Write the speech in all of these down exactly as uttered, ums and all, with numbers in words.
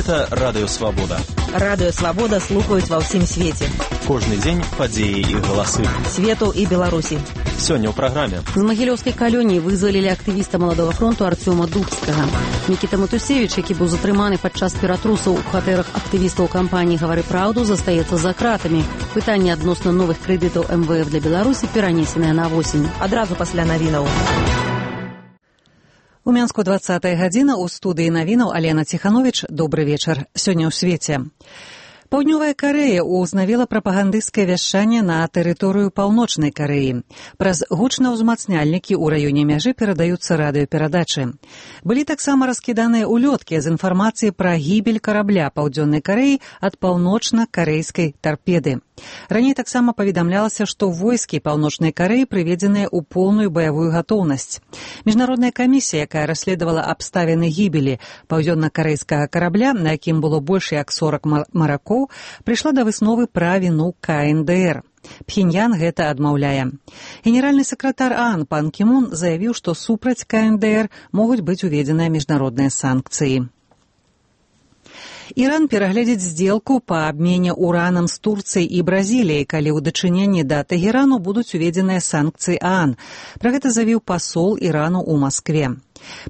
Гэта Радыё Свабода. Радыё Свабода слухаюць ва ўсім свеце. Кожны дзень падзеі і галасы. Свету і Беларусі. Сёння ў праграме. З Магілёўскай калоніі вызвалілі актывіста Маладога фронту Арцёма Дубскага. Мікіта Матусевіч, які быў затрыманы падчас ператрусаў у кватэрах актывістаў кампаніі «Гавары праўду», застаецца за кратамі. Пытанне адносна новых крэдытаў эм вэ эф для Беларусі перанесенае на восень. Адразу пасля навінаў. У Мянску двадцатая гадзіна, у студыі навінаў Алена Ціхановіч. Добры вечар. Сёння ў свеце. Паўднёвая Карэя ўзнавіла прапагандысцкае вяшчанне на тэрыторыю Паўночнай Карэі. Праз гучнаўзмацняльнікі ў раёне мяжы перадаюцца радыёперадачы. Былі таксама раскіданыя улёткі з інфармацыяй пра гібель карабля Паўдзённай Карэі ад паўночна-карэйскай тарпеды. Раней таксама паведамлялася, што войскі Паўночнай Карэі прыведзеныя ў полную баявую гатоўнасць. Міжнародная камісія, якая расследавала абставіны гібелі паўдзённа-карэйскага карабля, на якім было больш як сорак маракоў, прыйшла да высновы пра віну ка эн дэ эр. Пхеньян гэта адмаўляе. Генеральны сакратар ААН пан Кі Мун заявіў, што супраць ка эн дэ эр могуць быць уведзеныя міжнародныя санкцыі. Іран перагледзіць здзелку па абмене уранам з Турцыяй і Бразіліяй, калі ў дачыненні да Тэгэрану будуць уведзеныя санкцыі ААН. Пра гэта заявіў пасол Ірану ў Маскве.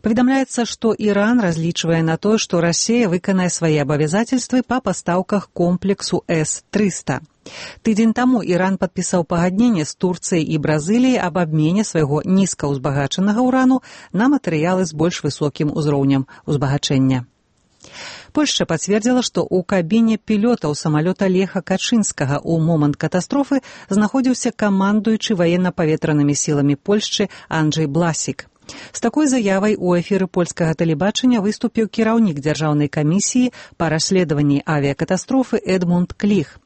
Паведамляецца, што Іран разлічвае на тое, што Расія выканае свае абавязательствы па пастаўках комплексу эс трыста. Тыдзень таму Іран падпісаў пагадненне з Турцыяй і Бразіліяй аб абмене свайго нізкаўзбагачанага ўрану на матэрыялы з больш высокім узроўнем узбагачэння. Польшча пацвердзіла, што ў кабіне пілётаў самалёта Леха Качынскага ў момант катастрофы знаходзіўся камандуючы ваенна-паветранымі сіламі Польшчы Анджэй Бласік. З такой заявай у эфіры польскага тэлебачання выступіў кіраўнік дзяржаўнай камісіі па расследаванні авіякатастрофы Эдмунд Кліх.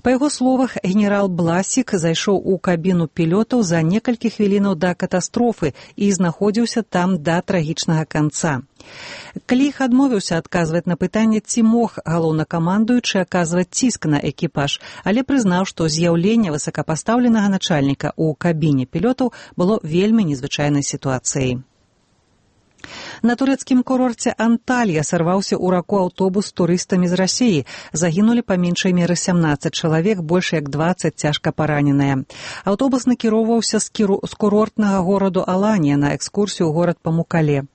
Па яго словах, генерал Бласік зайшоў у кабіну пілётаў за некалькі хвілінаў да катастрофы і знаходзіўся там да трагічнага канца. Кліх адмовіўся адказваць на пытанне, ці мог галоўнакамандуючы аказваць ціск на экіпаж, але прызнаў, што з'яўленне высокапастаўленага начальніка ў кабіне пілётаў было вельмі незвычайнай сітуацыяй. На турэцкім курорце Анталья сарваўся ў раку аўтобус з турыстамі з Расіі. Загінулі па меншай меры сямнаццаць чалавек, больш як дваццаць цяжка параненыя. Аўтобус накіроўваўся з, кіру... з курортнага гораду Аланія на экскурсію ў горад Памукале.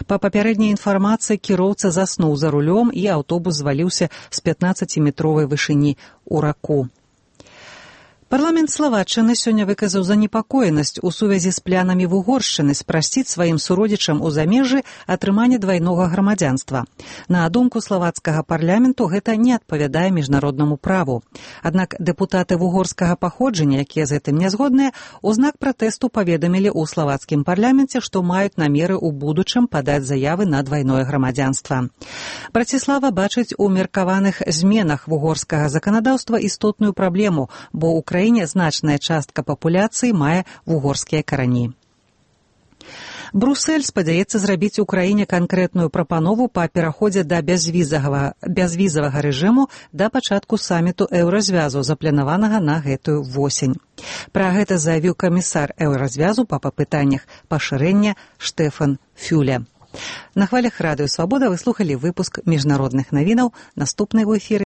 Па папярэдняй інфармацыі кіроўца заснуў за рулём і аўтобус зваліўся з пятнаццаціметровай вышыні ў раку. Парламент Славаччыны сёння выказаў занепакоенасць у сувязі з планамі Вугоршчыны спрасціць сваім суродзічам у замежжы атрыманне двайнога грамадзянства. На думку славацкага парламенту, гэта не адпавядае міжнароднаму праву. Аднак дэпутаты вугорскага паходжання, якія з гэтым не згодныя, у знак пратэсту паведамілі ў славацкім парламенце, што маюць намеры ў будучым падаць заявы на двайное грамадзянства. Браціслава бачыць у меркаваных зменах вугорскага заканадаўства істотную праблему, бо ў краіне значная частка папуляцыі мае вугорскія карані. Брусэль спадзяецца зрабіць у краіне канкрэтную прапанову па пераходзе да бязвізавага, бязвізавага рэжыму да пачатку саміту еўразвязу, запланаванага на гэтую восень. Пра гэта заявіў камісар еўразвязу па пытаннях пашырэння Штэфан Фюле. На хвалях Радыё Свабода вы слухалі выпуск міжнародных навінаў. Наступны ў эфіры